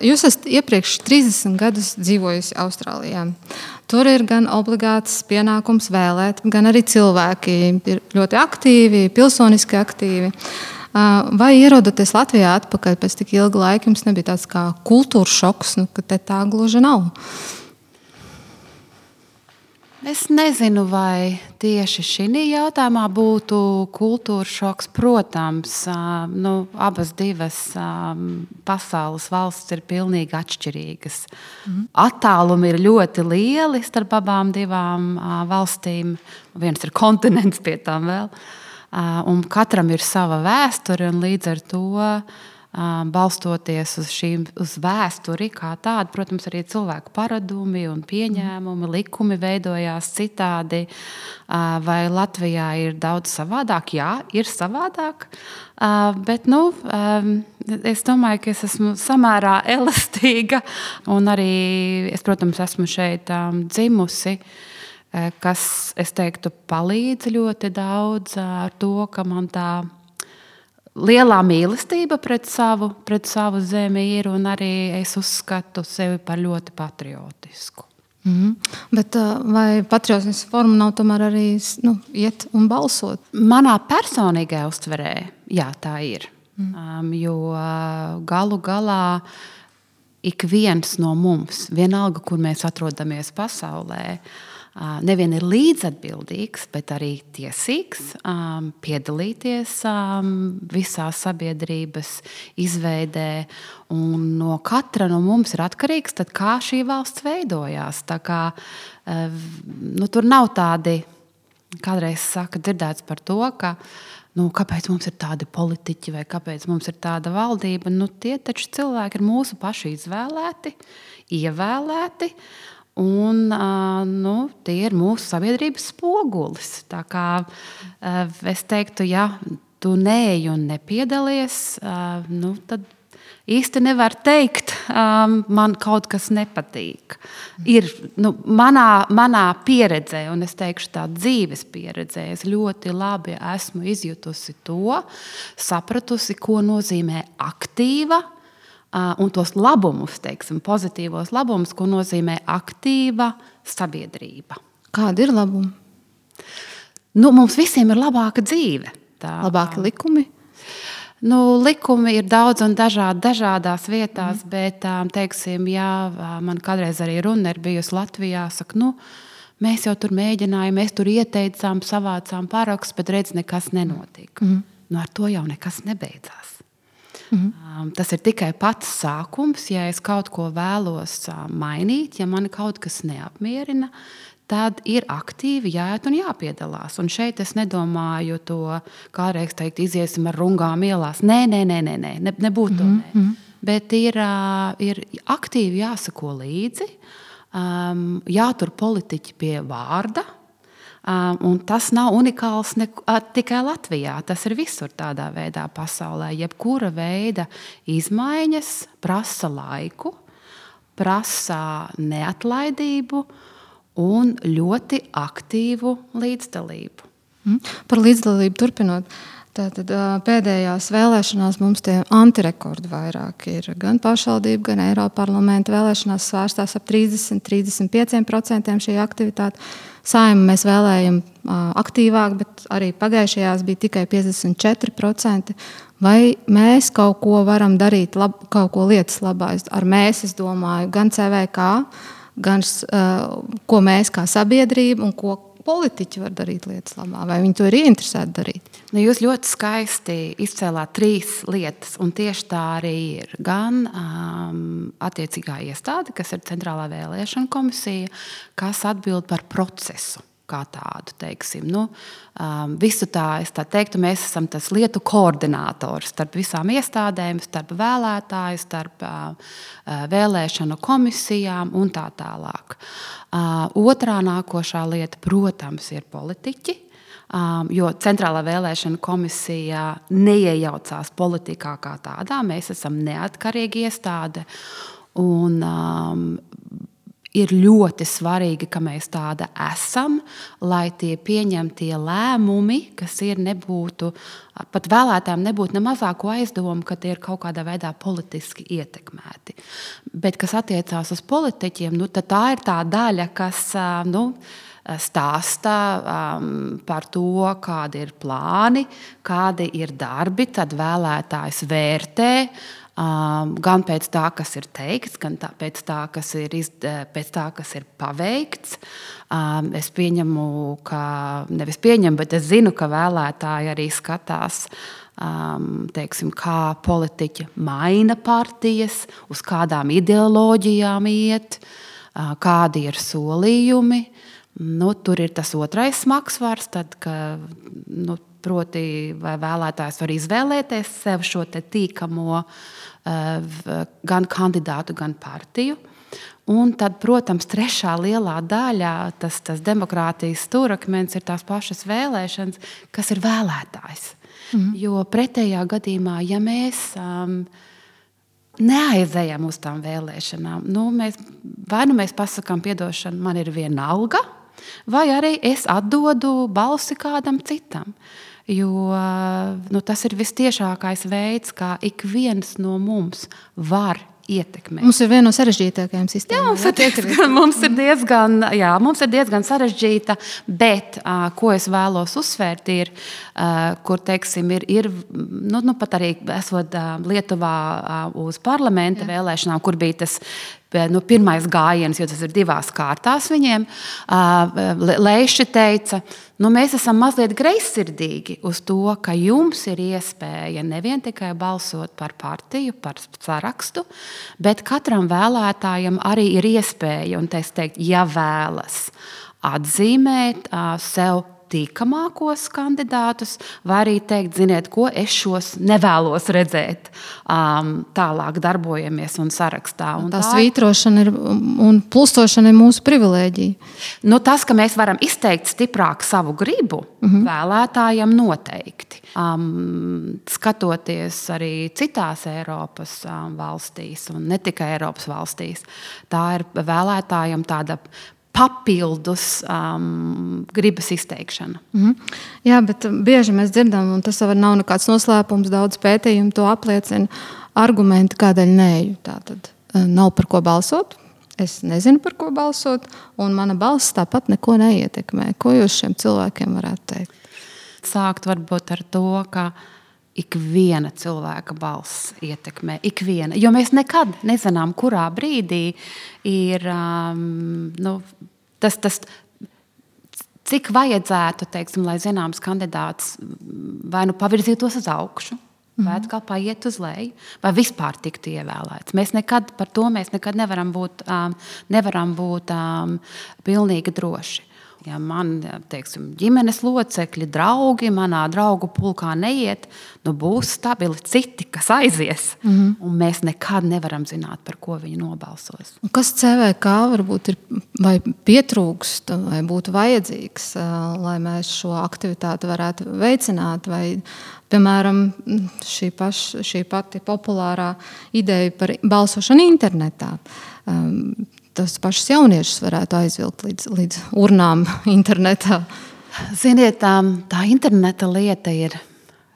Jūs esat iepriekš 30 gadus dzīvojusi Austrālijā. Tur ir gan obligāts pienākums vēlēt, gan arī cilvēki ir ļoti aktīvi, pilsoniski aktīvi. Vai ierodoties Latvijā atpakaļ pēc tik ilga laika, jums nebija tāds kā kultūras šoks, ka te tā gluži nav? Es nezinu, vai tieši šī jautājumā būtu kultūras šoks. Protams, abas divas pasaules valstis ir pilnīgi atšķirīgas. Attālumi ir ļoti lieli starp abām divām valstīm. Viens ir kontinents pie tām vēl. Un katram ir sava vēsture, un līdz ar to balstoties uz vēsturi kā tādu, protams, arī cilvēku paradumi un pieņēmumi, likumi veidojās citādi. Vai Latvijā ir daudz savādāk? Jā, ir savādāk. Bet es domāju, ka es esmu samērā elastīga, un arī es, protams, esmu šeit dzimusi, kas, es teiktu, palīdz ļoti daudz ar to, ka man tā lielā mīlestība pret savu zemi ir, un arī es uzskatu sevi par ļoti patriotisku. Bet vai patriotismas forma nav tomēr arī iet un balsot? Manā personīgajā uztverē, jā, tā ir. Jo galu galā ik viens no mums, vienalga, kur mēs atrodamies pasaulē, nevien ir līdzatbildīgs, bet arī tiesīgs piedalīties visā sabiedrības izveidē. Un no katra no mums ir atkarīgs, tad, kā šī valsts veidojās. Tā kā, tur nav tādi, kādreiz saka, dzirdēts par to, ka kāpēc mums ir tādi politiķi vai kāpēc mums ir tāda valdība. Tie taču cilvēki ir mūsu paši izvēlēti, ievēlēti. Un tie ir mūsu sabiedrības spogulis. Tā kā es teiktu, ja tu neej un nepiedalies, tad īsti nevar teikt, man kaut kas nepatīk. Ir manā pieredzē, un es teikšu tā dzīves pieredzē, es ļoti labi esmu izjutusi to, sapratusi, ko nozīmē aktīva, un tos labumus, teiksim, pozitīvos labumus, ko nozīmē aktīva sabiedrība. Kādi ir labumi? Mums visiem ir labāka dzīve. Labāki likumi? Likumi ir daudz un dažādās vietās, bet, teiksim, jā, man kādreiz arī runa ir bijusi Latvijā, saka, mēs jau tur mēģinājām, mēs tur ieteicām, savācām parakstus, bet redz, nekas nenotika. Ar to jau nekas nebeidzās. Tas ir tikai pats sākums. Ja es kaut ko vēlos mainīt, ja mani kaut kas neapmierina, tad ir aktīvi jāiet un jāpiedalās. Un šeit es nedomāju to, kādreiz teikt, iziesim ar rungām ielās. Nē, nebūtu to. Nē. Bet ir aktīvi jāsako līdzi, jātur politiķi pie vārda. Un tas nav unikāls tikai Latvijā. Tas ir visur tādā veidā pasaulē. Jebkura veida izmaiņas prasa laiku, prasa neatlaidību un ļoti aktīvu līdzdalību. Par līdzdalību turpinot. Tātad pēdējās vēlēšanās mums tie antirekordi vairāk ir. Gan pašvaldību, gan Eiroparlamenta vēlēšanās svērstās ap 30–35% šī aktivitāte. Saeimu mēs vēlējam aktīvāk, bet arī pagājušajās bija tikai 54%. Vai mēs kaut ko varam darīt, kaut ko lietas labā? Ar mēs, es domāju, gan CVK, gan ko mēs kā sabiedrība un ko politiķi var darīt lietas labā, vai viņi to ir ieinteresēti darīt? Jūs ļoti skaisti izcēlāt 3 lietas, un tieši tā arī ir. Gan attiecīgā iestāde, kas ir Centrālā vēlēšana komisija, kas atbild par procesu kā tādu, teiksim. Visu tā, es tā teiktu, mēs esam tas lietu koordinators starp visām iestādēm, starp vēlētāju, starp vēlēšanu komisijām un tā tālāk. Otrā nākošā lieta, protams, ir politiķi, jo Centrālā vēlēšana komisija neiejaucās politikā kā tādā. Mēs esam neatkarīga iestāde un ir ļoti svarīgi, ka mēs tāda esam, lai tie pieņemtie lēmumi, kas nebūtu, pat vēlētājiem nebūtu ne mazāko aizdomu, ka tie ir kaut kādā veidā politiski ietekmēti. Bet, kas attiecās uz politiķiem, tad tā ir tā daļa, kas stāsta par to, kādi ir plāni, kādi ir darbi, tad vēlētājs vērtē, gan pēc tā, kas ir teikts, gan pēc tā, kas ir paveikts. Es pieņemu, bet es zinu, ka vēlētāji arī skatās, teiksim, kā politiķi maina partijas, uz kādām ideoloģijām iet, kādi ir solījumi. Tur ir tas otrais smagsvars, tad, proti, vai vēlētājs var izvēlēties sev šo tīkamo gan kandidātu, gan partiju. Un tad, protams, trešā lielā daļa, tas demokrātijas stūrakmens ir tās pašas vēlēšanas, kas ir vēlētājs. Jo pretējā gadījumā, ja mēs neaizējam uz tām vēlēšanām, mēs pasakām piedošanu, man ir viena alga, vai arī es atdodu balsi kādam citam. Jo tas ir vistiešākais veids, kā ik viens no mums var ietekmēt. Mums ir viena no sarežģītākajām sistēmām. Mums ir diezgan sarežģīta, bet ko es vēlos uzsvērt, ir, kur, teiksim, ir pat arī esot Lietuvā uz parlamenta vēlēšanām, kur bija tas pirmais gājiens, jo tas ir 2 kārtās viņiem. Leiši teica, mēs esam mazliet greizsirdīgi uz to, ka jums ir iespēja nevien tikai balsot par partiju, par sarakstu, bet katram vēlētājam arī ir iespēja, un es teiktu, ja vēlas atzīmēt sev tīkamākos kandidātus, vai arī teikt, ziniet, ko es šos nevēlos redzēt. Tālāk darbojamies un sarakstā. Tā svītrošana un plusošana ir mūsu privilēģija. Tas, ka mēs varam izteikt stiprāk savu gribu, vēlētājiem noteikti. Skatoties arī citās Eiropas valstīs, un ne tikai Eiropas valstīs, tā ir vēlētājiem tāda papildus gribas izteikšana. Jā, bet bieži mēs dzirdam, un tas nav nekāds noslēpums, daudz pētījumu to apliecina, argumenti, kādēļ neeju. Tātad nav par ko balsot, es nezinu, par ko balsot, un mana balss tāpat neko neietekmē. Ko jūs šiem cilvēkiem varētu teikt? Sākt varbūt ar to, ka ikviena cilvēka balss ietekmē. Ikviena. Jo mēs nekad nezinām, kurā brīdī ir tas cik vajadzētu, teiksim, lai zināms kandidāts vai pavirzītos uz augšu, vai atkal paiet uz leju, vai vispār tiktu ievēlēts. Mēs nekad nevaram būt pilnīgi droši. Ja man, teiksim, ģimenes locekļi, draugi manā draugu pulkā neiet, būs stabili citi, kas aizies. Un mēs nekad nevaram zināt, par ko viņi nobalsos. Un kas CVK varbūt ir vai pietrūkst, vai būtu vajadzīgs, lai mēs šo aktivitāti varētu veicināt, vai, piemēram, šī pati populārā ideja par balsošanu internetā. Tas pašs jauniešus varētu aizvilkt līdz urnām internetā. Ziniet, tā interneta lieta ir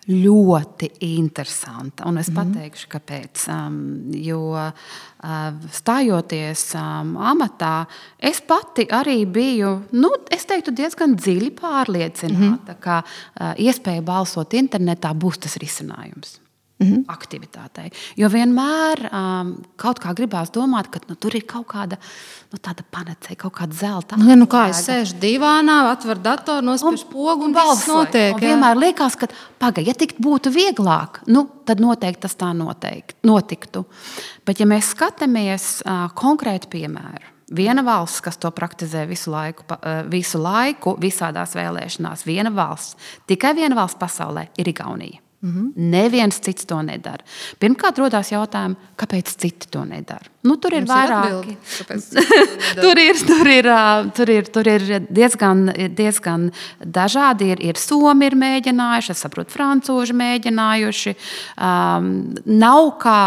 ļoti interesanta, un es pateikšu, kāpēc. Jo stājoties amatā, es pati arī biju, es teiktu, diezgan dziļi pārliecināta, ka iespēja balsot internetā būs tas risinājums. Aktivitātei. Jo vienmēr kaut kā gribās domāt, ka tur ir kaut kāda tāda panacēja, kaut kāda zelta. Kā es sēžu divānā, atveru datoru, nospiežu pogu un viss notiek. Un vienmēr liekas, ka ja tik būtu vieglāk, tad noteikti tas tā notiktu. Bet ja mēs skatāmies konkrētu piemēru, viena valsts, kas to praktizē visu laiku, visādās vēlēšanās, tikai viena valsts pasaulē ir Igaunija. Neviens cits to nedara. Pirmkārt, rodās jautājumi, kāpēc citi to nedara. Tur ir vairāki. Tur ir diezgan dažādi. Ir somi ir mēģinājuši, es saprotu, francūži mēģinājuši. Nav kā,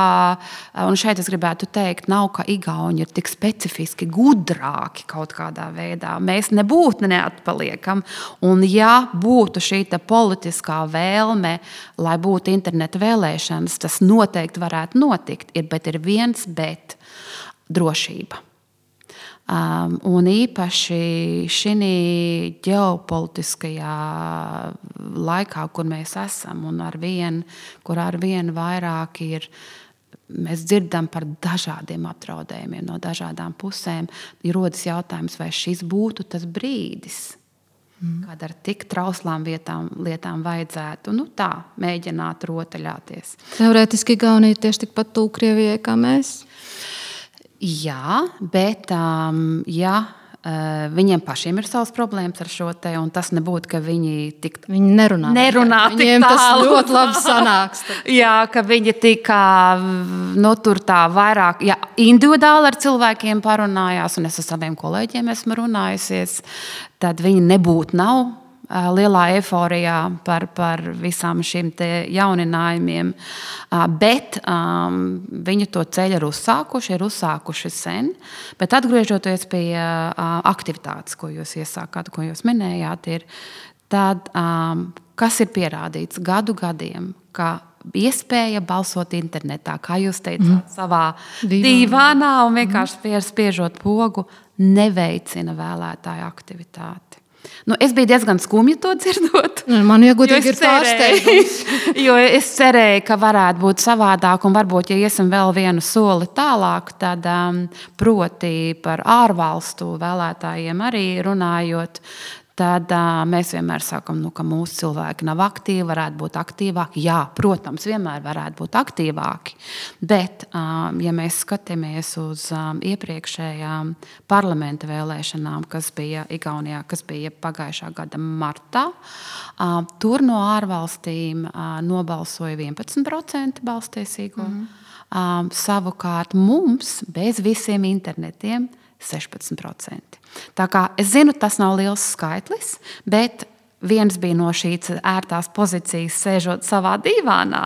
un šeit es gribētu teikt, nav kā igauņi ir tik specifiski gudrāki kaut kādā veidā. Mēs nebūtu neatpaliekam. Un ja būtu šī politiskā vēlme, lai būtu interneta vēlēšanas, tas noteikti varētu notikt, bet ir viens bet – drošība. Un īpaši šī ģeopolitiskajā laikā, kur mēs esam, un kur arvien vairāk ir, mēs dzirdam par dažādiem apdraudējumiem no dažādām pusēm, ir rodas jautājums, vai šis būtu tas brīdis, kad ar tik trauslām lietām vajadzētu tā mēģināt rotaļāties. Teorētiski Igaunija ir tieši tikpat tuvu Krievijai kā mēs? Jā, bet viņiem pašiem ir savas problēmas ar šo te, un tas nebūtu, ka viņi Viņi nerunā viņiem tas ļoti labi sanāks. Jā, ka viņi tur tā vairāk, individuāli ar cilvēkiem parunājās, un es ar saviem kolēģiem esmu runājusies, tad viņi nav lielā eiforijā par visām šīm te jauninājumiem, bet viņi to ceļu ir uzsākuši sen, bet atgriežoties pie aktivitātes, ko jūs iesākāt, ko jūs minējāt, tad, kas ir pierādīts gadiem, ka iespēja balsot internetā, kā jūs teicāt, savā dīvānā un vienkārši spiežot pogu, neveicina vēlētāju aktivitāti. Es biju diezgan skumja to dzirdot. Man iegodīgi ir pārsteigums. Jo es cerēju, ka varētu būt savādāk, un varbūt, ja iesim vēl vienu soli tālāk, tad proti par ārvalstu vēlētājiem arī runājot, tad mēs vienmēr sakam, ka mūsu cilvēki nav aktīvi, varētu būt aktīvāki. Jā, protams, vienmēr varētu būt aktīvāki, bet, ja mēs skatāmies uz iepriekšējām parlamenta vēlēšanām, kas bija Igaunijā, kas bija pagājušā gada martā, tur no ārvalstīm nobalsoja 11% balstiesīgo. Savukārt mums, bez visiem internetiem, 16%. Tā kā es zinu, tas nav liels skaitlis, bet viens bija no šīs ērtās pozīcijas sēžot savā dīvānā,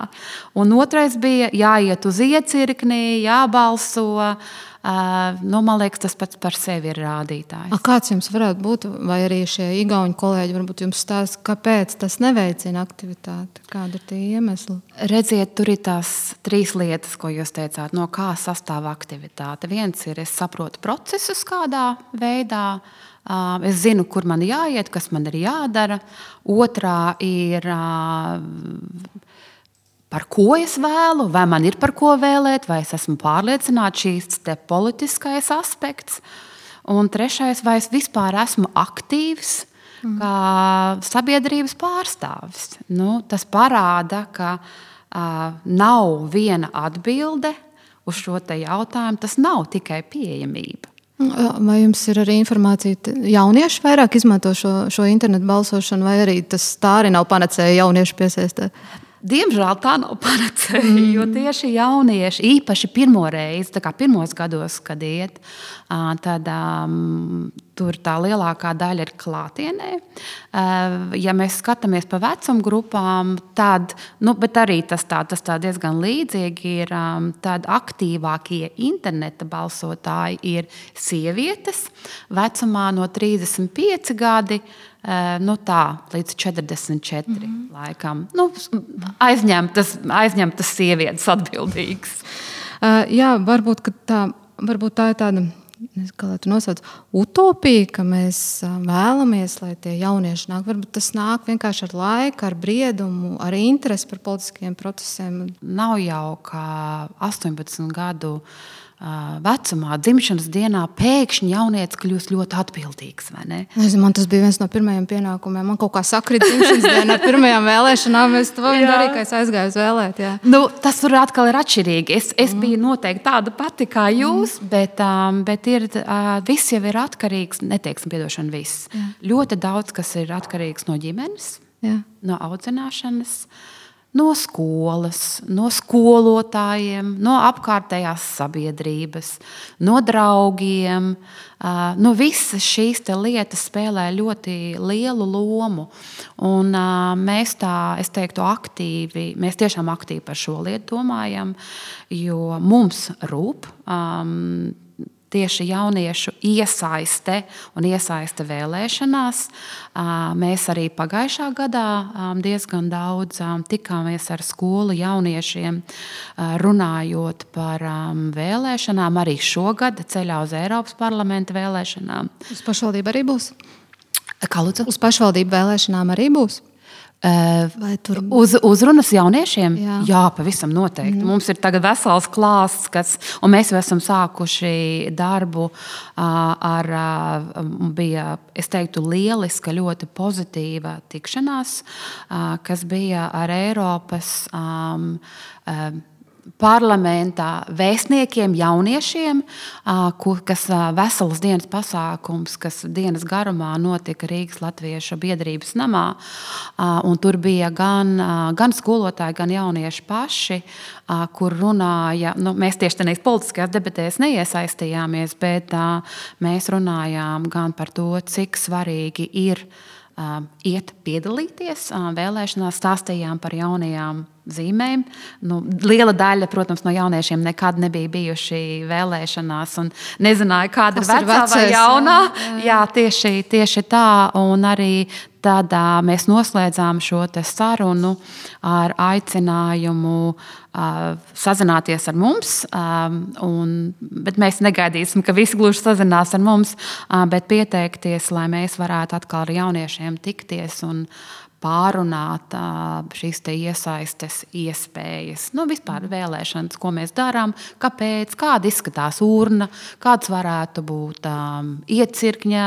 un otrais bija jāiet uz iecirkni, jābalso. Man liekas, tas pats par sevi ir rādītājs. Kāds jums varētu būt, vai arī šie igauņu kolēģi varbūt jums stāsta, kāpēc tas neveicina aktivitāti? Kāda ir tie iemesli? Redziet, tur ir tās 3 lietas, ko jūs teicāt, no kā sastāv aktivitāte. Viens ir, es saprotu procesus kādā veidā, es zinu, kur man jāiet, kas man ir jādara. Otrā ir par ko es vēlu, vai man ir par ko vēlēt, vai es esmu pārliecināta šīs te politiskais aspekts. Un trešais, vai es vispār esmu aktīvs kā sabiedrības pārstāvis. Tas parāda, ka nav viena atbilde uz šo te jautājumu, tas nav tikai pieejamība. Vai jums ir arī informācija, jaunieši vairāk izmanto šo internetu balsošanu, vai arī tā arī nav panacēja jauniešu piesaistē? Diemžēl tā nav panacēja, jo tieši jaunieši, īpaši pirmo reizi, tā kā pirmos gados, kad iet, tad tur tā lielākā daļa ir klātienē. Ja mēs skatāmies pa vecumu grupām, tad, bet arī tas tā diezgan līdzīgi ir, tad aktīvākie interneta balsotāji ir sievietes vecumā no 35 gadi, līdz 44 laikam. Aizņemtas sievietes atbildīgas. Jā, varbūt tā ir tāda, kā lai tu nosauc, utopija, ka mēs vēlamies, lai tie jaunieši nāk. Varbūt tas nāk vienkārši ar laiku, ar briedumu, ar interesi par politiskiem procesiem. Nav jau kā 18 gadu vecumā, dzimšanas dienā pēkšņi jaunietis kļūst ļoti atbildīgs, vai ne? Man tas bija viens no pirmajiem pienākumiem. Man kaut kā sakrīt dzimšanas dienā ar pirmajām vēlēšanām. Es to darīju, ka es aizgāju uz vēlēt. Jā. Tas tur atkal ir atšķirīgi. Es biju noteikti tāda pati kā jūs, bet viss jau ir atkarīgs, neteiksim piedošana viss. Jā. Ļoti daudz, kas ir atkarīgs no ģimenes, no audzināšanas, no skolas, no skolotājiem, no apkārtējās sabiedrības, no draugiem. No visas šīs lietas spēlē ļoti lielu lomu. Un mēs es teiktu, mēs tiešām aktīvi par šo lietu domājam, jo mums rūp tieši jauniešu iesaiste vēlēšanās. Mēs arī pagājušā gadā diezgan daudz tikāmies ar skolu jauniešiem, runājot par vēlēšanām. Arī šogad ceļā uz Eiropas parlamenta vēlēšanām. Uz pašvaldību arī būs? Kā lūdzu? Uz pašvaldību vēlēšanām arī būs? Uzrunas jauniešiem? Jā, pavisam noteikti. Mums ir tagad vesels klāsts, un mēs jau esam sākuši darbu bija, es teiktu, lieliska, ļoti pozitīva tikšanās, kas bija ar Eiropas parlamentā vēstniekiem, jauniešiem, kas veselas dienas pasākums, kas dienas garumā notika Rīgas Latviešu biedrības namā. Un tur bija gan skolotāji, gan jaunieši paši, kur runāja. Mēs tieši tajās politiskajās debatēs neiesaistījāmies, bet mēs runājām gan par to, cik svarīgi ir iet piedalīties vēlēšanās, stāstījām par jaunajām zīmēm. Liela daļa, protams, no jauniešiem nekad nebija bijuši vēlēšanās un nezināja, kāda ir vecā vai jaunā. Jā, tieši tā. Un arī tad mēs noslēdzām šo sarunu ar aicinājumu sazināties ar mums. Bet mēs negaidīsim, ka visi gluži sazinās ar mums, bet pieteikties, lai mēs varētu atkal ar jauniešiem tikties un pārunāt šīs iesaistes iespējas. Vispār vēlēšanas, ko mēs darām, kāpēc, kāda izskatās urna, kāds varētu būt iecirkņa.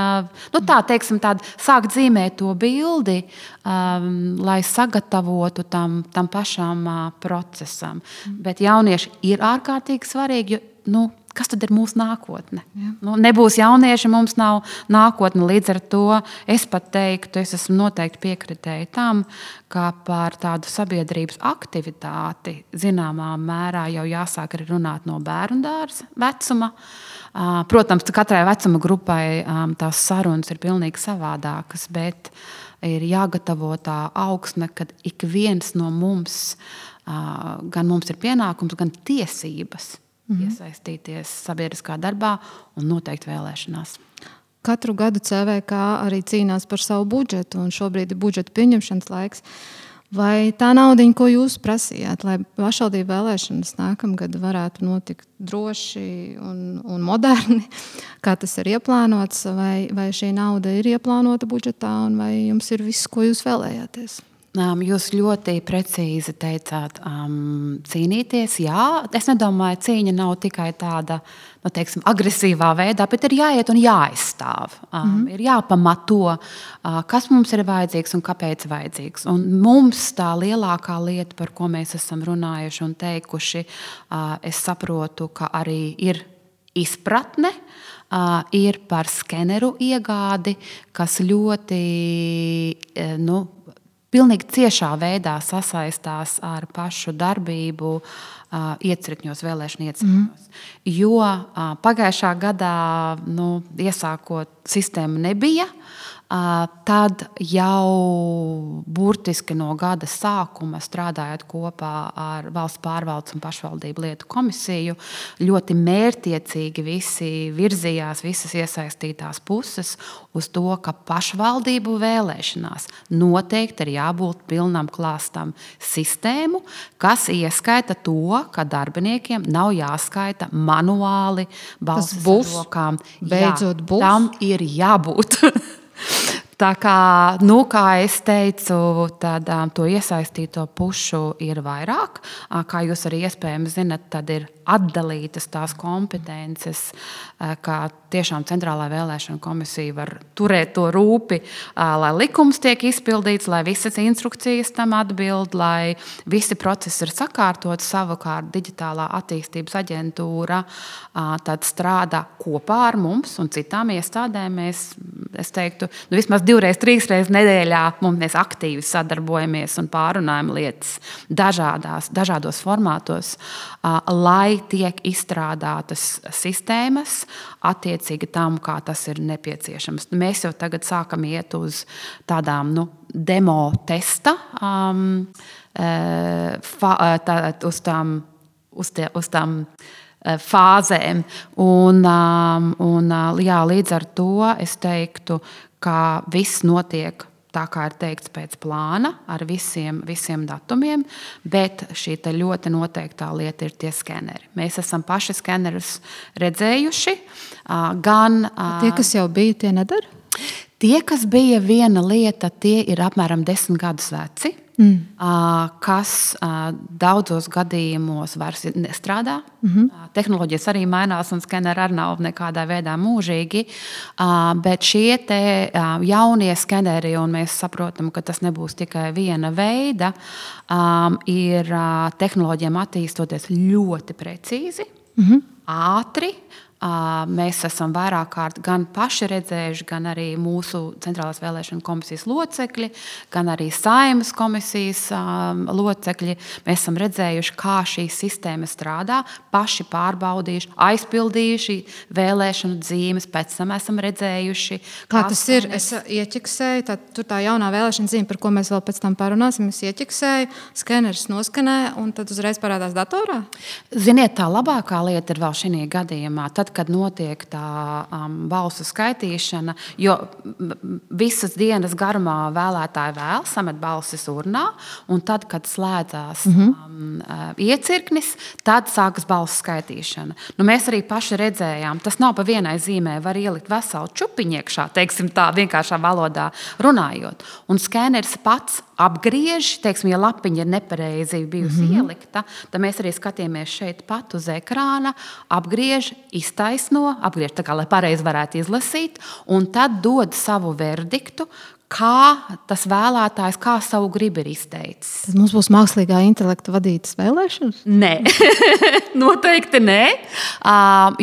Sākt zīmēt to bildi, lai sagatavotu tam pašam procesam. Bet jaunieši ir ārkārtīgi svarīgi, jo kas tad ir mūsu nākotne? Nebūs jaunieši, mums nav nākotne. Līdz ar to es pat teiktu, es esmu noteikti piekritēji tam, ka par tādu sabiedrības aktivitāti zināmā mērā jau jāsāk arī runāt no bērndārza vecuma. Protams, katrai vecuma grupai tās sarunas ir pilnīgi savādākas, bet ir jāgatavo tā augsne, kad ik viens no mums, gan mums ir pienākums, gan tiesības iesaistīties sabiedriskā darbā un noteikti vēlēšanās. Katru gadu CVK arī cīnās par savu budžetu, un šobrīd ir budžeta pieņemšanas laiks. Vai tā naudiņa, ko jūs prasījāt, lai pašvaldību vēlēšanas nākamgad varētu notikt droši un moderni, kā tas ir ieplānots, vai šī nauda ir ieplānota budžetā, un vai jums ir viss, ko jūs vēlējāties? Jūs ļoti precīzi teicāt, cīnīties. Jā, es nedomāju, cīņa nav tikai tāda, agresīvā veidā, bet ir jāiet un jāaizstāv. Ir jāpamato, kas mums ir vajadzīgs un kāpēc vajadzīgs. Un mums tā lielākā lieta, par ko mēs esam runājuši un teikuši, es saprotu, ka arī ir izpratne, ir par skeneru iegādi, kas ļoti, pilnīgi ciešā veidā sasaistās ar pašu darbību iecirkņos, vēlēšanu iecirkņos. Jo pagājušā gadā, iesākot sistēmu nebija, tad jau burtiski no gada sākuma strādājot kopā ar Valsts pārvaldes un pašvaldību lietu komisiju, ļoti mērķtiecīgi visi virzījās, visas iesaistītās puses uz to, ka pašvaldību vēlēšanās noteikti ir jābūt pilnam klāstam sistēmu, kas ieskaita to, ka darbiniekiem nav jāskaita manuāli balsis ar rokām. Beidzot būs. Tam ir jābūt. Tā kā, kā es teicu, tad to iesaistīto pušu ir vairāk. Kā jūs arī iespējams zinat, tad ir atdalītas tās kompetences, kā tiešām centrālā vēlēšana komisija var turēt to rūpi, lai likums tiek izpildīts, lai visas instrukcijas tam atbild, lai visi procesi ir sakārtot. Savukārt digitālā attīstības aģentūra tad strādā kopā ar mums un citām iestādēm. Es teiktu, vismaz 2, 3 nedēļā mēs aktīvi sadarbojamies un pārunājam lietas dažādos formātos, lai tiek izstrādātas sistēmas attiecīgi tam, kā tas ir nepieciešams. Mēs jau tagad sākam iet uz tādām demo testa, uz tām fāzēm. Jā, līdz ar to es teiktu, ka viss notiek tā, kā ir teikts pēc plāna, ar visiem datumiem, bet šī ļoti noteiktā lieta ir tie skeneri. Mēs esam paši skenerus redzējuši. Tie, kas jau bija, tie nedara? Tie, kas bija viena lieta, tie ir apmēram 10 gadus veci, kas daudzos gadījumos vairs nestrādā. Tehnoloģijas arī mainās, un skeneri arī nav nekādā veidā mūžīgi. Bet šie te jaunie skeneri, un mēs saprotam, ka tas nebūs tikai viena veida, ir tehnoloģijām attīstoties ļoti precīzi, ātri. Mēs esam vairāk kārt gan paši redzējuši, gan arī mūsu Centrālās vēlēšana komisijas locekļi, gan arī Saeimas komisijas locekļi. Mēs esam redzējuši, kā šī sistēma strādā, paši pārbaudījuši, aizpildījuši vēlēšanu zīmes, pēc tam esam redzējuši. Kā tas ir? Es ieķeksēju, tur tā jaunā vēlēšana zīme, par ko mēs vēl pēc tam parunāsim, es ieķeksēju, skeneris noskanē, un tad uzreiz parādās datorā? Ziniet, tā labākā lieta ir vēl šī gadījumā. Tad, kad notiek tā balsu skaitīšana, jo visas dienas garumā vēlētāji vēl samet balsis urnā, un tad, kad slēdzās iecirknis, tad sākas balsu skaitīšana. Mēs arī paši redzējām, tas nav pa vienai zīmē, var ielikt veselu čupiņu iekšā, teiksim tā, vienkāršā valodā runājot. Un skeneris pats apgriež, teiksim, ja lapiņa ir nepareizi bijusi ielikta, tad mēs arī skatījāmies šeit pat uz ekrāna, apgriež, iztaisno, apgriež tā kā, lai pareizi varētu izlasīt, un tad dod savu verdiktu, kā tas vēlētājs, kā savu gribu ir izteicis. Tad mums būs mākslīgā intelekta vadītas vēlēšanas? Nē, noteikti nē,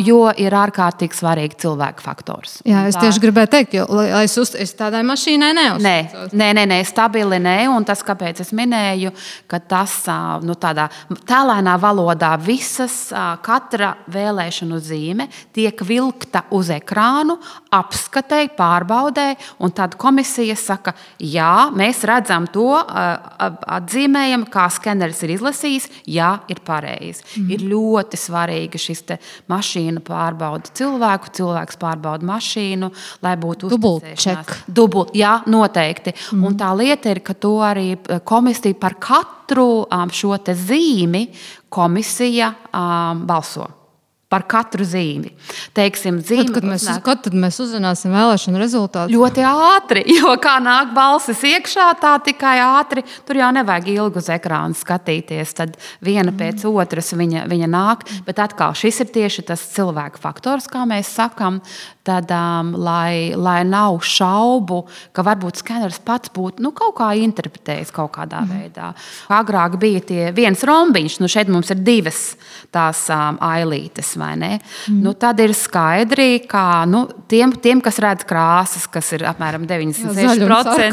jo ir ārkārtīgi svarīgi cilvēku faktors. Jā, es tieši gribēju teikt, jo es tādai mašīnai neuzticos. Nē, stabili nē, un tas, kāpēc es minēju, ka tas tādā tēlēnā valodā katra vēlēšanu zīme tiek vilkta uz ekrānu, apskatē, pārbaudē, un tad komisija saka, jā, mēs redzam to, atzīmējam, kā skeneris ir izlasījis, jā, ir pareizi. Ir ļoti svarīgi šis te mašīna pārbauda cilvēku, cilvēks pārbauda mašīnu, lai būtu uzticēšanās. Jā, noteikti. Un tā lieta ir, ka to arī komisija par katru šo te zīmi komisija balso. Par katru zīmi. Teiksim, Kad tad mēs uzzināsim vēlēšanu rezultātus? Ļoti ātri, jo kā nāk balsis iekšā, tā tikai ātri. Tur jau nevajag ilgi uz ekrānu skatīties, tad viena pēc otras viņa nāk. Bet atkal, šis ir tieši tas cilvēku faktors, kā mēs sakam, tad, lai nav šaubu, ka varbūt skeneris pats būtu kaut kā interpretējis kaut kādā veidā. Agrāk bija viens rombiņš, šeit mums ir 2 tās ailītes, vai ne? Tad ir skaidri, ka tiem, kas redz krāsas, kas ir apmēram 96%,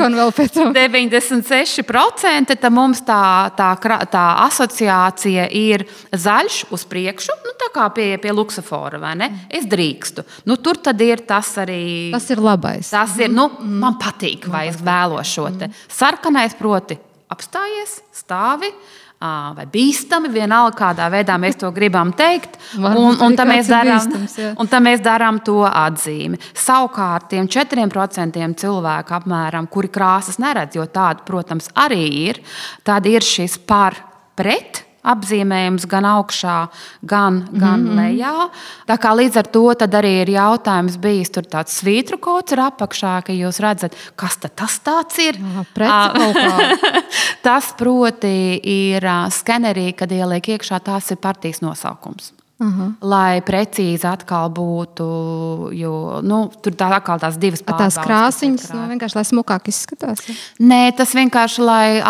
96%, tad mums tā asociācija ir zaļš uz priekšu, tā kā pie luksofora, vai ne? Es drīkstu. Tur tad ir tas arī... Tas ir labais. Tas ir, man patīk, vai es vēlos šo te. Sarkanais proti apstājies, stāvi, vai bīstami, vienalga kādā veidā mēs to gribam teikt, un tad mēs darām to atzīmi. Savukārt tiem 4% cilvēku apmēram, kuri krāsas neredz, jo tāda, protams, arī ir, tad ir šis par pret apzīmējums gan augšā, gan lejā. Tā kā līdz ar to tad arī ir jautājums bijis, tur tāds svītru kods ir apakšā, ka jūs redzat, kas tad tas tāds ir? Tas proti ir skenerī, kad ieliek iekšā, tās ir partijas nosaukums. Lai precīzi atkal būtu, jo tur atkal tās 2 pārbaudas. Tās krāsiņas vienkārši, lai smukāk izskatās? Nē, tas vienkārši, lai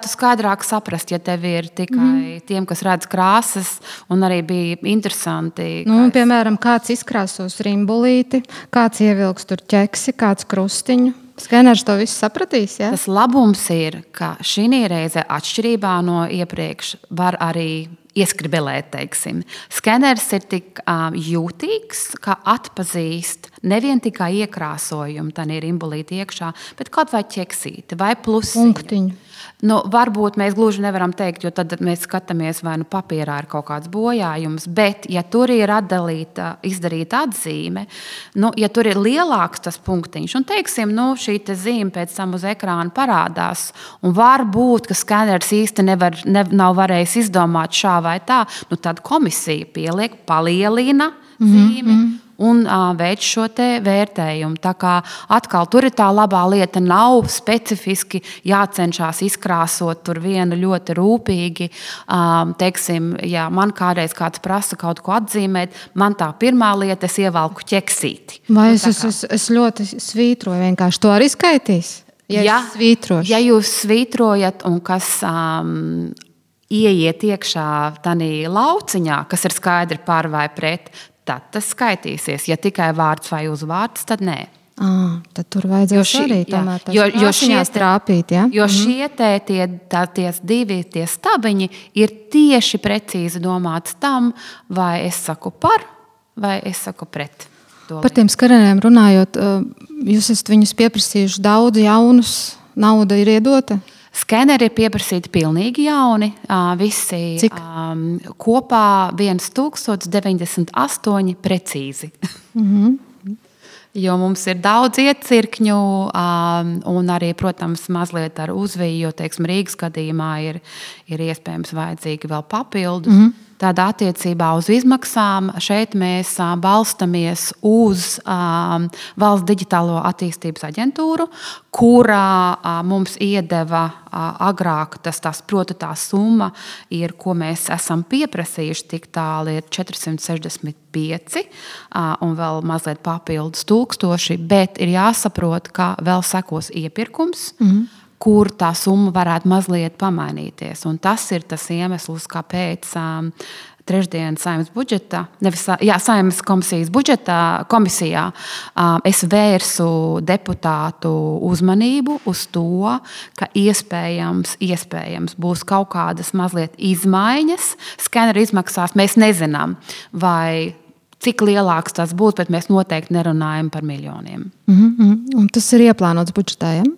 tu skaidrāk saprast, ja tev ir tikai tiem, kas redz krāsas, un arī bija interesanti. Piemēram, kāds izkrāsos rimbulīti, kāds ievilks tur ķeksi, kāds krustiņu. Skeners to visu sapratīs, jā? Tas labums ir, ka šī reize atšķirībā no iepriekš var arī ieskribelēt, teiksim. Skeners ir tik jūtīgs, ka atpazīst nevien tikai iekrāsojumu, tā ir imbulīti iekšā, bet kaut vai ķeksīti vai plusiņu. Punktiņu. Varbūt mēs gluži nevaram teikt, jo tad mēs skatāmies, vai papīrā ir kaut kāds bojājums, bet, ja tur ir izdarīta atzīme, ja tur ir lielāks tas punktiņš, un teiksim, šī zīme pēc tam uz ekrāna parādās, un varbūt, ka skeners īsti nav varējis izdomāt šā vai tā, tad komisija pieliek, palielina zīmi, un veic šo te vērtējumu. Tā kā atkal tur ir tā labā lieta, nav specifiski jācenšas izkrāsot tur vienu ļoti rūpīgi. Teiksim, ja man kādreiz kāds prasa kaut ko atzīmēt, man tā pirmā lieta, es ievelku ķeksīti. Vai es ļoti svītroju, vienkārši to arī skaitīs? Ja jūs svītrojat un kas ieiet iekšā tanī lauciņā, kas ir skaidri par vai pret, tad tas skaitīsies. Ja tikai vārds vai uzvārds, tad nē. Tad tur vajadzēs arī tomēr tās trāpīt, ja? Jo šie tie divi stabiņi ir tieši precīzi domāts tam, vai es saku par, vai es saku pret. Par tiem skeneriem runājot, jūs esat viņus pieprasījuši daudz jaunus, nauda ir iedota? Skeneri ir pieprasīti pilnīgi jauni, visi Cik? Kopā 1098 precīzi. Jo mums ir daudz iecirkņu, un arī, protams, mazliet ar uzviju, jo, teiksim, Rīgas gadījumā ir iespējams vajadzīgi vēl papildus. Tādā attiecībā uz izmaksām šeit mēs balstamies uz Valsts digitālo attīstības aģentūru, kurā mums iedeva agrāk proti tā summa, ko mēs esam pieprasījuši, tik tālu ir 465 un vēl mazliet papildus 1000, bet ir jāsaprot, ka vēl sekos iepirkums, kur tā summa varētu mazliet pamainīties. Un tas ir tas iemesls, kāpēc trešdien Saeimas budžetā, Saeimas komisijā es vērsu deputātu uzmanību uz to, ka iespējams būs kaut kādas mazliet izmaiņas. Skeneru izmaksās mēs nezinām, vai cik lielāks tas būs, bet mēs noteikti nerunājam par miljoniem. Un tas ir ieplānots budžetā, ja?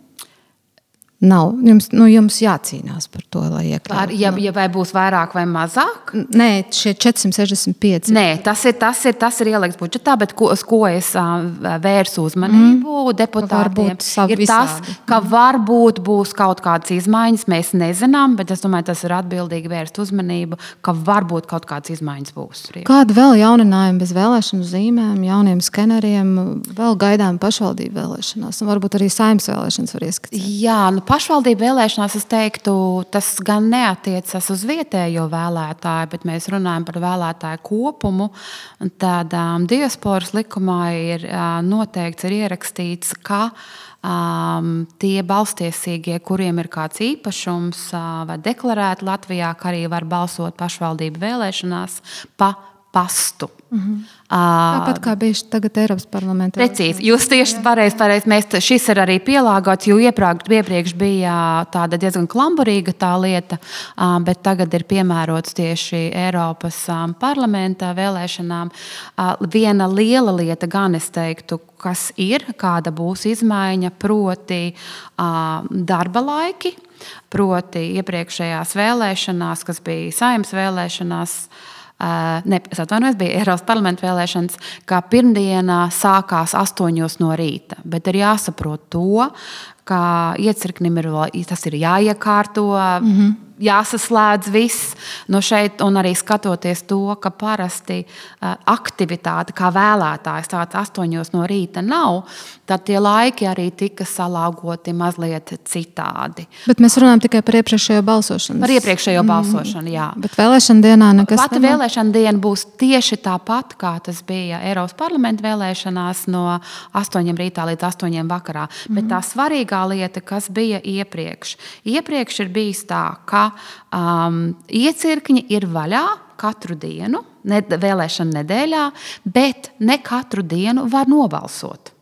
Nav. Jums jācīnās par to, lai iekļautu. Ja vai būs vairāk vai mazāk? Nē, šie 465. Nē, tas ir ielikts budžetā, bet uz ko es vērsu uzmanību deputātiem, ir tas, ka varbūt būs kaut kādas izmaiņas, mēs nezinām, bet es domāju, tas ir atbildīgi vērst uzmanību, ka varbūt kaut kādas izmaiņas būs. Kāda vēl jauninājumi bez vēlēšanu zīmēm, jauniem skeneriem, vēl gaidām pašvaldību vēlēšanās, un varbūt arī Saeimas vēlēšanas var ieskatīt? Jā, pašvaldību vēlēšanās, es teiktu, tas gan neatiecas uz vietējo vēlētāju, bet mēs runājam par vēlētāju kopumu. Tad diasporas likumā ir noteikts, ir ierakstīts, ka tie balstiesīgie, kuriem ir kāds īpašums vai deklarēti Latvijā, ka arī var balsot pašvaldību vēlēšanās pa pastu. Tāpat kā bija tagad Eiropas parlamentā. Precīzi. Jūs tieši pareizi. Šis ir arī pielāgots, jo iepriekš bija tāda diezgan klamburīga tā lieta, bet tagad ir piemērots tieši Eiropas parlamentā vēlēšanām. Viena liela lieta gan es teiktu, kas ir, kāda būs izmaiņa, proti darba laiki, proti iepriekšējās vēlēšanās, kas bija Saeimas vēlēšanās, es atvainojos, bija Eiropas parlamenta vēlēšanas, ka pirmdiena sākās 8 no rīta, bet ir jāsaprot to, ka iecirknim tas ir jāiekārto, jāsaslēdz viss no šeit, un arī skatoties to, ka parasti aktivitāte kā vēlētājs tāds 8 no rīta nav, tad tie laiki arī tika salāgoti mazliet citādi. Bet mēs runājam tikai par iepriekšējo balsošanu. Par iepriekšējo balsošanu, jā. Bet vēlēšana dienā nekas Pati vēlēšana diena būs tieši tāpat, kā tas bija Eiropas parlamenta vēlēšanās no 8 rītā līdz 8 vakarā. Bet tā svarīgā lieta, kas bija iepriekš. Iepriekš ir bijis tā, ka iecirkņi ir vaļā katru dienu, vēlēšana nedēļā, bet ne katru dienu var nobalsot.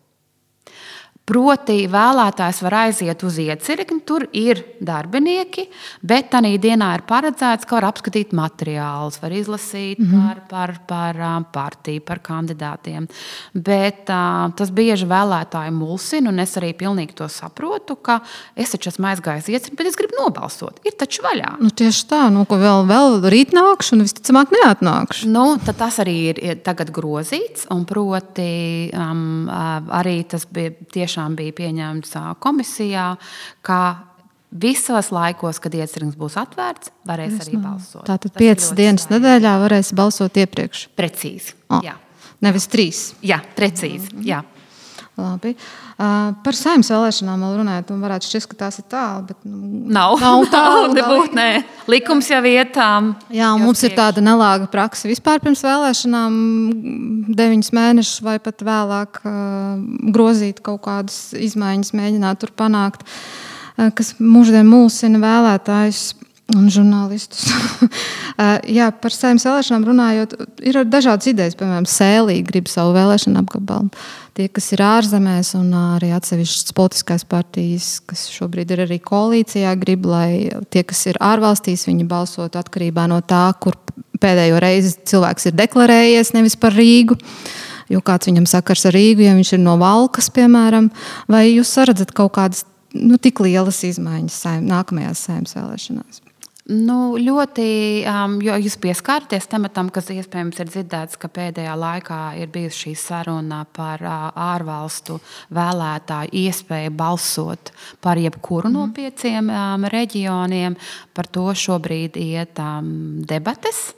Proti, vēlētājs var aiziet uz iecirkni, tur ir darbinieki, bet tajā dienā ir paredzēts, ka var apskatīt materiālus, var izlasīt par partiju, par kandidātiem. Bet tas bieži vēlētāji mulsina, un es arī pilnīgi to saprotu, ka es taču esmu aizgājis iecirkni, bet es gribu nobalsot. Ir taču vaļā. Tieši tā, ka vēl rīt nākšu, un visticamāk neatnākšu. Tad tas arī ir tagad grozīts, un proti arī tas bija pieņemts komisijā, ka visos laikos, kad iecirknis būs atvērts, varēs arī balsot. Tātad 5 dienas nedēļā varēs balsot iepriekš. Precīzi, jā. Nevis 3. Jā, precīzi, jā. Labi. Par Saeimas vēlēšanām vēl runājot, un varētu šķist, ka tās ir tālu, bet nav tālu. Likums jau ietām. Jā, un mums ir tāda nelāga praksa vispār pirms vēlēšanām 9 mēnešus vai pat vēlāk grozīt kaut kādas izmaiņas, mēģināt tur panākt, kas mūždien mulsina vēlētājus un žurnālistus. Jā, par Saeimas vēlēšanām runājot, ir dažādas idejas, piemēram, Sēlī grib savu vēlēšanu apgabalu. Tie, kas ir ārzemēs un arī atsevišķas politiskās partijas, kas šobrīd ir arī koalīcijā, grib, lai tie, kas ir ārvalstīs, viņi balsotu atkarībā no tā, kur pēdējo reizi cilvēks ir deklarējies, nevis par Rīgu. Jo kāds viņam sakars ar Rīgu, ja viņš ir no Valkas, piemēram. Vai jūs saredzat kaut kādas tik lielas izmaiņas nākamajās Saeimas vēlēšanās? Ļoti, jo jūs pieskārties tematam, kas iespējams ir dzirdēts, ka pēdējā laikā ir bijusi šī saruna par ārvalstu vēlētāju iespēju balsot par jebkuru no 5 reģioniem. Par to šobrīd iet debates.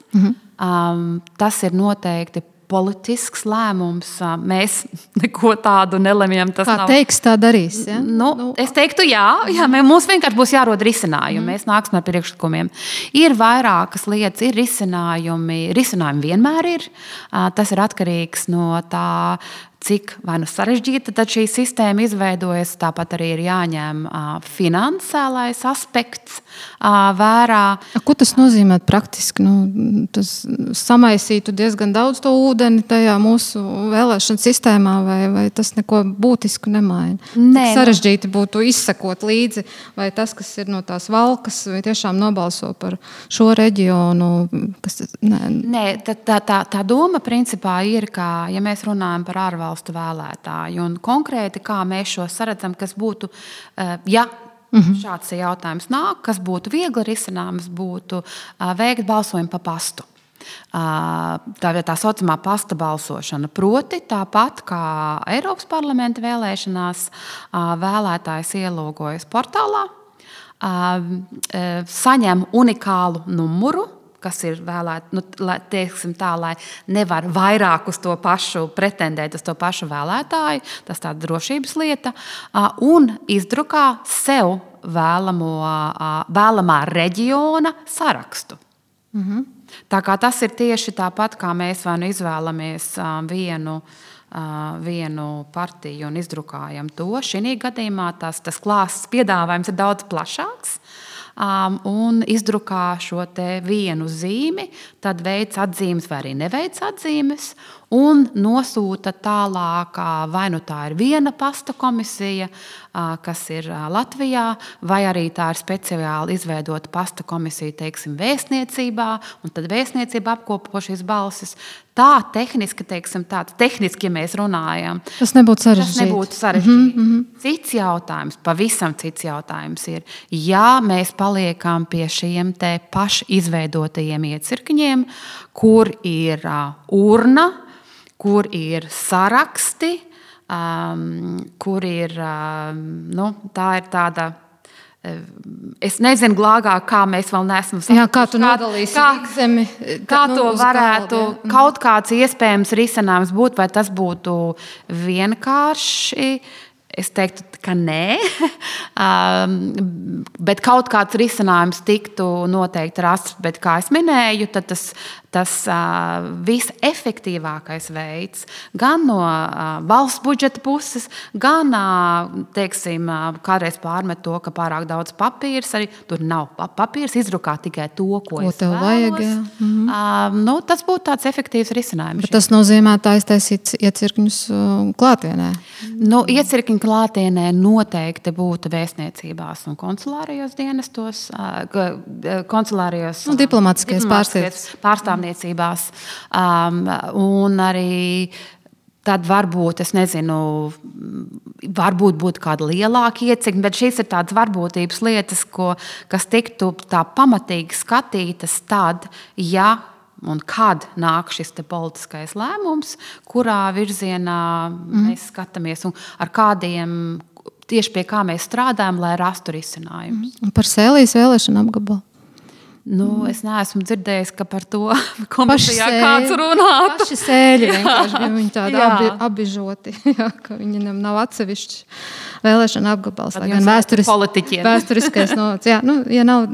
Tas ir noteikti politisks lēmums. Mēs neko tādu nelemjam. Kā teiks, tā darīs. Ja? Es teiktu, jā, mums vienkārši būs jārod risinājumi. Mēs nāksim ar priekšlikumiem. Ir vairākas lietas, ir risinājumi. Risinājumi vienmēr ir. Tas ir atkarīgs no tā, cik vai nu sarežģīta tad šī sistēma izveidojas. Tāpat arī ir jāņem finansiālais aspekts vērā. Ko tas nozīmē praktiski? Tas samaisītu diezgan daudz to ūdeni tajā mūsu vēlēšanu sistēmā, vai tas neko būtisku nemaina? Sarežģīti būtu izsekot līdzi, vai tas, kas ir no tās Valkas, vai tiešām nobalso par šo reģionu? Tā doma principā ir, ka, ja mēs runājam par ārvalstu vēlētāju, un konkrēti, kā mēs šo saredzam, kas būtu, šāds jautājums nāk, kas būtu viegli risināms, būtu veikt balsojumu pa pastu. Tā saucamā pasta balsošana. Proti, tāpat kā Eiropas parlamenta vēlēšanās, vēlētājs ielogojas portālā, saņem unikālu numuru, kas ir vēlēts, lai nevar vairāk uz to pašu pretendēt, uz to pašu vēlētāju, tas tāda drošības lieta, un izdrukā sev vēlamā reģiona sarakstu. Tā kā tas ir tieši tāpat, kā mēs vai nu izvēlamies vienu partiju un izdrukājam to. Šī gadījumā tas klāsts piedāvājums ir daudz plašāks. Un izdrukā šo te vienu zīmi, tad veic atzīmes vai arī neveic atzīmes un nosūta tālāk, vai nu tā ir viena pasta komisija, kas ir Latvijā, vai arī tā ir speciāli izveidota pasta komisija, teiksim, vēstniecībā, un tad vēstniecība apkopo šīs balsis. Tā tehniski, ja mēs runājam, tas nebūtu sarežģīti. Cits jautājums, pavisam cits jautājums ir, ja mēs paliekam pie šiem te paši izveidotajiem iecirkņiem, kur ir urna, kur ir saraksti, kur ir, tā ir tāda, es nezinu glāgāk, kā mēs vēl neesam sapratuši. Kā tu nodalīsi zemi? Kā to varētu kaut kāds iespējams risinājums būt, vai tas būtu vienkārši? Es teiktu, ka nē, bet kaut kāds risinājums tiktu noteikti rasts, bet, kā es minēju, tad tas visefektīvākais veids gan no valsts budžeta puses, gan, teiksim, kādreiz pārmet to, ka pārāk daudz papīrs, arī tur nav papīrs, izdrukā tikai to, ko es tev vajag. Tas būtu tāds efektīvs risinājums. Bet tas nozīmē taisīt iecirkņus klātienē? Iecirkņu klātienē noteikti būtu vēstniecībās un konsulārajos dienestos, konsulārajos diplomātiskajās pārstāvniecībās, un arī tad varbūt, es nezinu, varbūt būtu kāda lielāka iecirkņa, bet šīs ir tādas varbūtības lietas, kas tiktu tā pamatīgi skatītas tad, ja un kad nāk šis politiskais lēmums, kurā virzienā mēs skatāmies un ar kādiem, tieši pie kā mēs strādājam, lai rastu risinājumus. Un par Sēlijas vēlēšanu apgabalu? Es neesmu dzirdējis, ka par to komisijā kāds runātu. Paši sēļi vienkārši bija viņi tādi abižoti, ka viņiem nav atsevišķi vēlēšana apgabals. Lai gan vēsturiskais novacs. Ja nav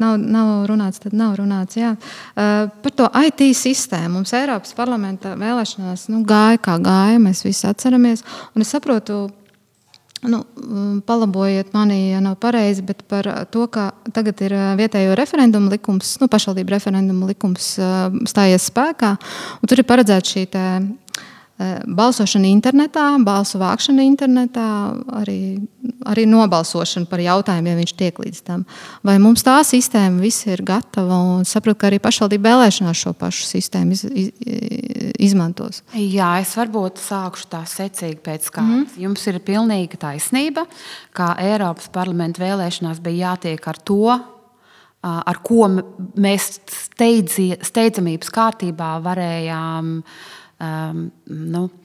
runāts, tad nav runāts. Jā. Par to IT sistēmu mums Eiropas parlamenta vēlēšanās gāja kā gāja, mēs visi atceramies. Un es saprotu, palabojiet mani, ja nav pareizi, bet par to, ka tagad ir vietējo referendumu likums, pašvaldību referendumu likums stājies spēkā, un tur ir paredzēta šī balsošana internetā, balsu vākšana internetā, arī nobalsošana par jautājumu, ja viņš tiek līdz tam. Vai mums tā sistēma visi ir gatava un saprot, ka arī pašvaldību vēlēšanās šo pašu sistēmu izmantos? Jā, es varbūt sākšu tā secīgi pēc kārtas. Jums ir pilnīga taisnība, ka Eiropas parlamenta vēlēšanās bija jātiek ar to, ar ko mēs steidzamības kārtībā varējām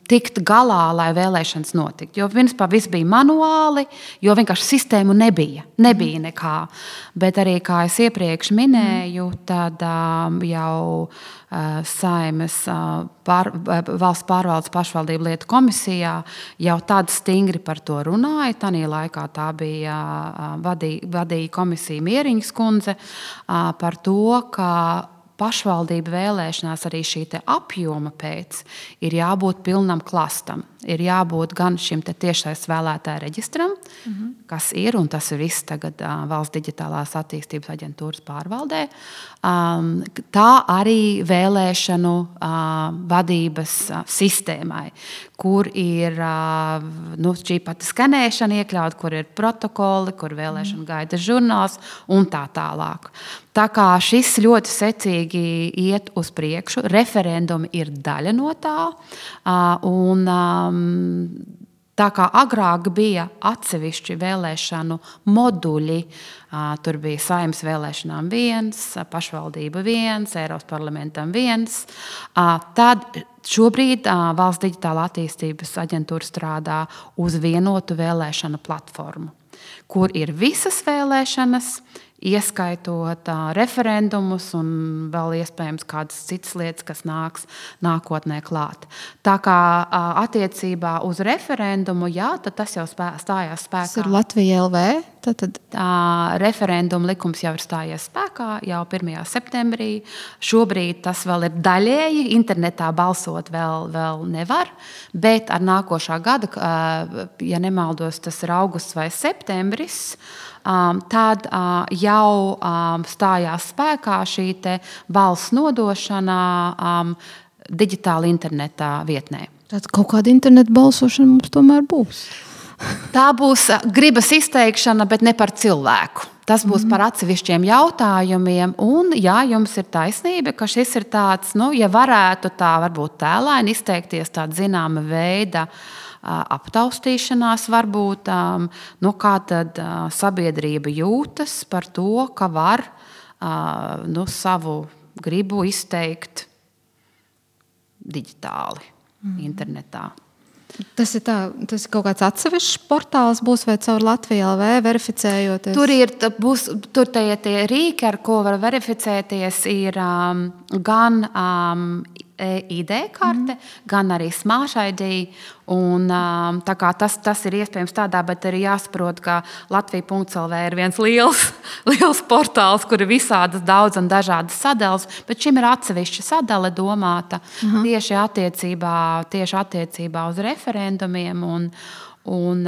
tikt galā, lai vēlēšanas notiktu. Jo viss bija manuāli, jo vienkārši sistēmu nebija nekā. Bet arī, kā es iepriekš minēju, tad jau Saeimas valsts pārvaldes pašvaldību lietu komisijā jau tad stingri par to runāja. Tanī laikā tā bija vadīja komisija Mieriņas kundze par to, ka pašvaldību vēlēšanās arī šī apjoma pēc ir jābūt pilnam klastam. Ir jābūt gan šim tiešais vēlētāju reģistram, kas ir, un tas ir viss tagad Valsts digitālās attīstības aģentūras pārvaldē, tā arī vēlēšanu vadības sistēmai, kur ir šī pati skanēšana iekļaut, kur ir protokoli, kur vēlēšana gaida žurnāls un tā tālāk. Tā kā šis ļoti secīgi iet uz priekšu, referendumi ir daļa no tā, un tā kā agrāk bija atsevišķi vēlēšanu moduļi, tur bija Saeimas vēlēšanām viens, pašvaldība viens, Eiropas parlamentam viens, tad šobrīd Valsts digitālā attīstības aģentūra strādā uz vienotu vēlēšanu platformu, kur ir visas vēlēšanas, ieskaitot referendumus un vēl iespējams kādas citas lietas, kas nāks nākotnē klāt. Tā kā attiecībā uz referendumu, tad tas jau stājās spēkā. Tas ir Latvija LV? Tad... Referenduma likums jau ir stājies spēkā jau 1. septembrī. Šobrīd tas vēl ir daļēji, internetā balsot vēl nevar, bet ar nākošā gada, ja nemaldos, tas ir augusts vai septembris, tad jau stājās spēkā šī valsts nodošana digitāli internetā vietnē. Tad kaut kāda interneta balsošana mums tomēr būs. Tā būs gribas izteikšana, bet ne par cilvēku. Tas būs par atsevišķiem jautājumiem. Un, jā, jums ir taisnība, ka šis ir tāds, ja varētu tā varbūt tēlaini izteikties tāda zināma veida aptaustīšanās varbūt, kā tad sabiedrība jūtas par to, ka var savu gribu izteikt digitāli, internetā. Tas ir kaut kāds atsevišķs portāls būs vai caur Latviju LV verificējoties? Tur tie rīki, ar ko var verificēties, ir gan ID karte, gan arī Smart ID. Un, tā kā tas ir iespējams tādā, bet arī jāsaprot, ka Latvija.lv ir viens liels portāls, kur ir visādas daudz un dažādas sadaļas, bet šim ir atsevišķa sadaļa domāta tieši attiecībā uz referendumiem. Un,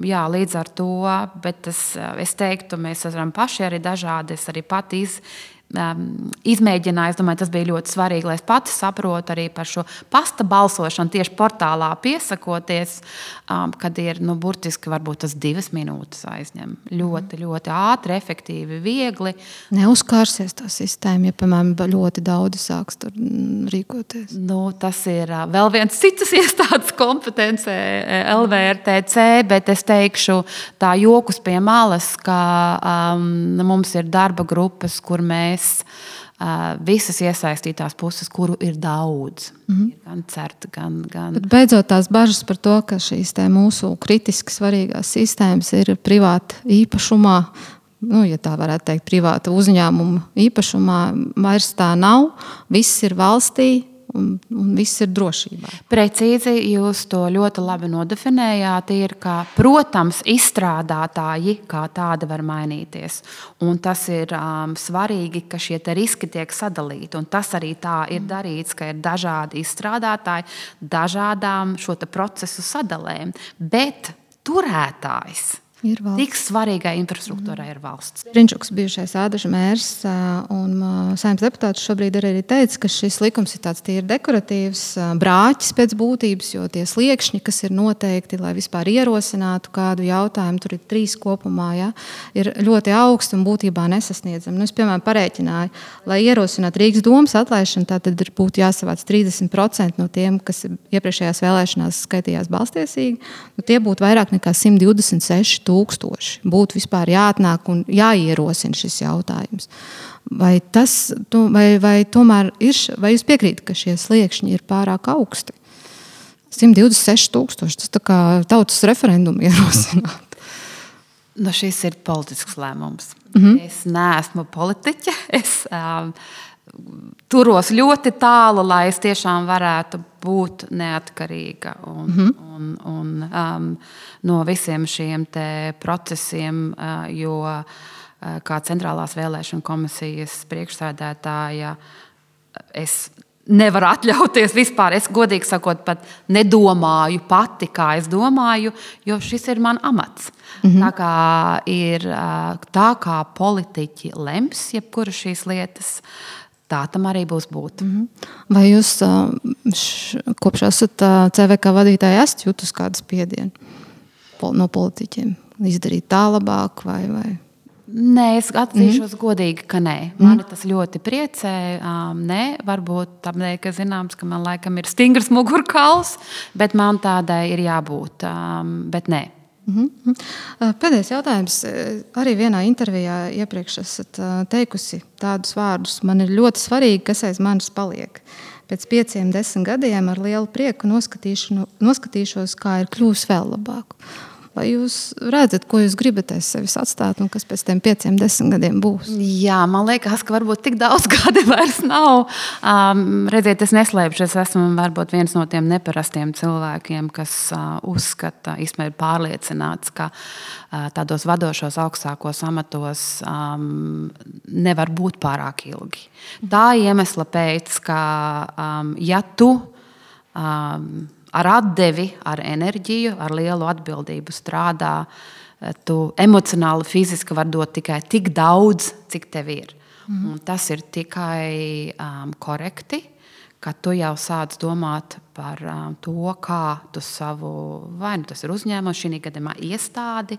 jā, līdz ar to, bet es teiktu, mēs esam paši arī dažādi, es arī pati izmēģināju. Es domāju, tas bija ļoti svarīgi, lai es pati saprotu arī par šo pasta balsošanu tieši portālā piesakoties, kad ir burtiski varbūt tas 2 minūtes aizņem. Ļoti, ļoti ātri, efektīvi, viegli. Neuzkārsies tā sistēma, ja, piemēram, ļoti daudz sāks tur rīkoties. Tas ir vēl viens citas iestādes kompetence LVRTC, bet es teikšu tā jokus pie malas, ka mums ir darba grupas, kur mēs visas iesaistītās puses, kuru ir daudz. Gan CERT, gan... Bet beidzot tās bažas par to, ka šīs mūsu kritiski svarīgās sistēmas ir privāta īpašumā, ja tā varētu teikt, privāta uzņēmuma īpašumā, vairs tā nav. Viss ir valstī. Un viss ir drošībā. Precīzi jūs to ļoti labi nodefinējāt. Ir, ka, protams, izstrādātāji kā tādi var mainīties. Un tas ir svarīgi, ka šie riski tiek sadalīti. Un tas arī tā ir darīts, ka ir dažādi izstrādātāji dažādām šo procesu sadalēm. Bet turētājs tik svarīgai infrastruktūrai ir valsts. Riņķuks, bijušais Ādaža mērs un Saeimas deputāts šobrīd arī teica, ka šis likums ir tāds tīri dekoratīvs, brāķis pēc būtības, jo tie sliekšņi, kas ir noteikti, lai vispār ierosinātu kādu jautājumu, tur ir 3 kopumā, ja, ir ļoti augsti un būtībā nesasniedzami. Es, piemēram, parēķināju, lai ierosinātu Rīgas domas atlaišanu, tātad būtu jāsavāc 30% no tiem, kas iepriekšējās vēlēšanās skaitījās balstiesīgi, tie būtu vairāk nekā 126 000. Būtu vispār jāatnāk un jāierosina šis jautājums. Vai tomēr ir, vai jūs piekrītat, ka šie sliekšņi ir pārāk augsti? 126 000, tas tā kā tautas referendumu ierosināt. Šis ir politisks lēmums. Es neesmu politiķe. Es turos ļoti tālu, lai es tiešām varētu būt neatkarīga un no visiem šiem te procesiem, jo kā Centrālās vēlēšana komisijas priekšsēdētāja es nevaru atļauties vispār. Es godīgi sakot pat nedomāju pati, kā es domāju, jo šis ir man amats. Tā kā ir tā, kā politiķi lems jebkura šīs lietas, tā tam arī būs būt. Vai jūs kopš esat CVK vadītāji esat jūtus kādu spiedienu no politiķiem? Izdarīt tā labāk vai? Nē, es atzīšos godīgi, ka nē. Mani tas ļoti priecē. Nē, varbūt tādēļ, ka zināms, ka man laikam ir stingrs mugurkauls, bet man tādai ir jābūt. Bet nē. Pēdējais jautājums. Arī vienā intervijā iepriekš esat teikusi tādus vārdus. Man ir ļoti svarīgi, kas aiz manis paliek. Pēc 5-10 gadiem ar lielu prieku noskatīšos, kā ir kļūs vēl labāk. Vai jūs redzat, ko jūs gribat aiz sevis atstāt un kas pēc tiem 5-10 gadiem būs? Jā, man liekas, ka varbūt tik daudz gadi vairs nav. Redziet, es neslēpšu, es esmu varbūt viens no tiem neparastiem cilvēkiem, kas uzskata, īstenībā ir pārliecināts, ka tādos vadošos augstākos amatos nevar būt pārāk ilgi. Tā iemesla pēc, ka ja tu ar atdevi, ar enerģiju, ar lielu atbildību strādā, tu emocionāli, fiziski var dot tikai tik daudz, cik tev ir. Un tas ir tikai korekti, ka tu jau sāc domāt par to, kā tu savu, vai nu tas ir uzņēmums, šī gadījumā iestādi,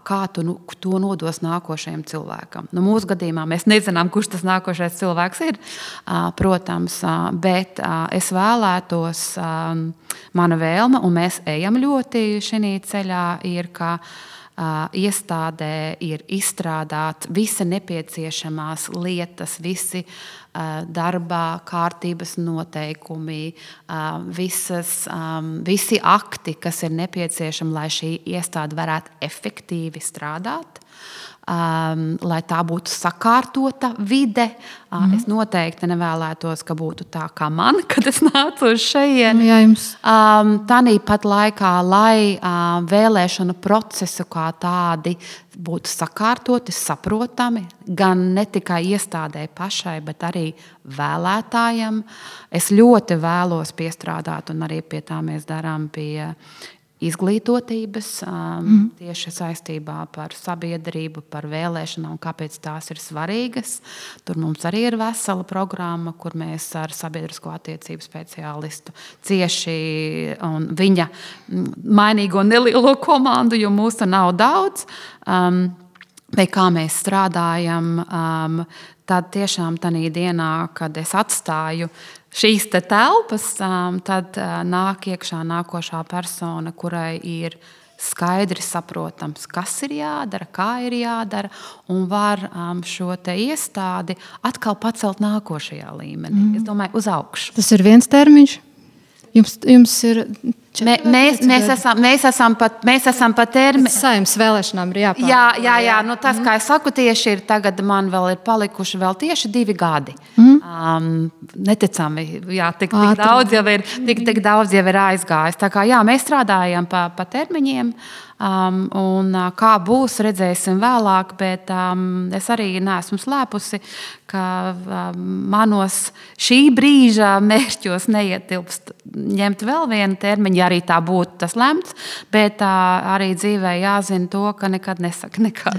kā tu to nodos nākošajam cilvēkam. Mūsu gadījumā mēs nezinām, kurš tas nākošais cilvēks ir, protams, bet es vēlētos, mana vēlme, un mēs ejam ļoti šī ceļā, ir, ka iestādē ir izstrādāt visi nepieciešamās lietas, visi darbā kārtības noteikumi, visi akti, kas ir nepieciešami, lai šī iestāde varētu efektīvi strādāt, lai tā būtu sakārtota vide. Es noteikti nevēlētos, ka būtu tā kā man, kad es nācu uz šejieni. Tāpat laikā, lai vēlēšanu procesu kā tādi būtu sakārtoti, saprotami, gan ne tikai iestādē pašai, bet arī vēlētājiem. Es ļoti vēlos piestrādāt, un arī pie tā mēs darām pie izglītotības tieši saistībā par sabiedrību, par vēlēšanām, kāpēc tās ir svarīgas. Tur mums arī ir vesela programma, kur mēs ar sabiedrisko attiecību speciālistu cieši un viņa mainīgo nelielo komandu, jo mūsu nav daudz, vai kā mēs strādājam, tad tiešām tajā dienā, kad es atstāju šīs telpas, tad nāk iekšā nākošā persona, kurai ir skaidri saprotams, kas ir jādara, kā ir jādara, un var šo iestādi atkal pacelt nākošajā līmenī. Es domāju, uz augšu. Tas ir viens termiņš. Jums ir... Mēs esam pat termiņā. Saeimas vēlēšanām ir jāpār. Jā, nu tas, kā es saku, tieši ir tagad man vēl ir palikuši vēl tieši 2 gadi. Neticami, jā, tik daudz jau ir aizgājis. Tā kā jā, mēs strādājam pa termiņiem, un kā būs, redzēsim vēlāk, bet es arī neesmu slēpusi, ka manos šī brīža mērķos neietilpst ņemt vēl vienu termiņu, ja arī tā būtu tas lemts, bet arī dzīvē jāzina to, ka nekad nesaka nekad.